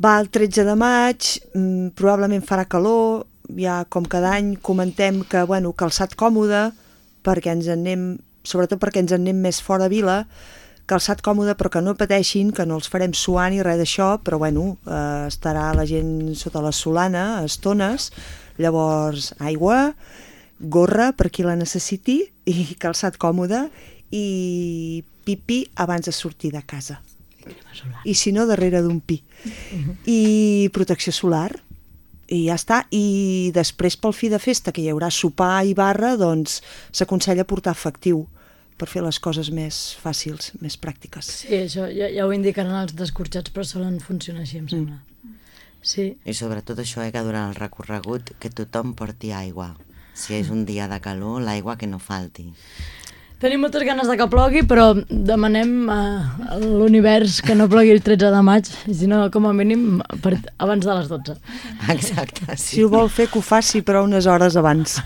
Va el 13 de maig, probablement farà calor, ja com cada any comentem que, bueno, calçat còmode, perquè ens en anem, sobretot perquè ens en anem més fora de vila, calçat còmode però que no pateixin, que no els farem suar ni res d'això, però bueno, estarà la gent sota la solana a estones, llavors aigua, gorra per qui la necessiti i calçat còmode i pipi abans de sortir de casa. I si no, darrere d'un pi. I protecció solar. I ja està. I després pel fi de festa, que hi haurà sopar i barra, doncs s'aconsella portar efectiu per fer les coses més fàcils, més pràctiques. Sí, això ja ho indicaran els descorxats, però solen funcionar així, em sembla. Sí. I sobretot això, que durant el recorregut que tothom porti aigua. Si és un dia de calor, l'aigua que no falti. Tenim moltes ganes de que plogui, però demanem a l'univers que no plogui el 13 de maig, si no, com a mínim, abans de les 12. Exacte, sí. Si ho vol fer, que ho faci, però unes hores abans.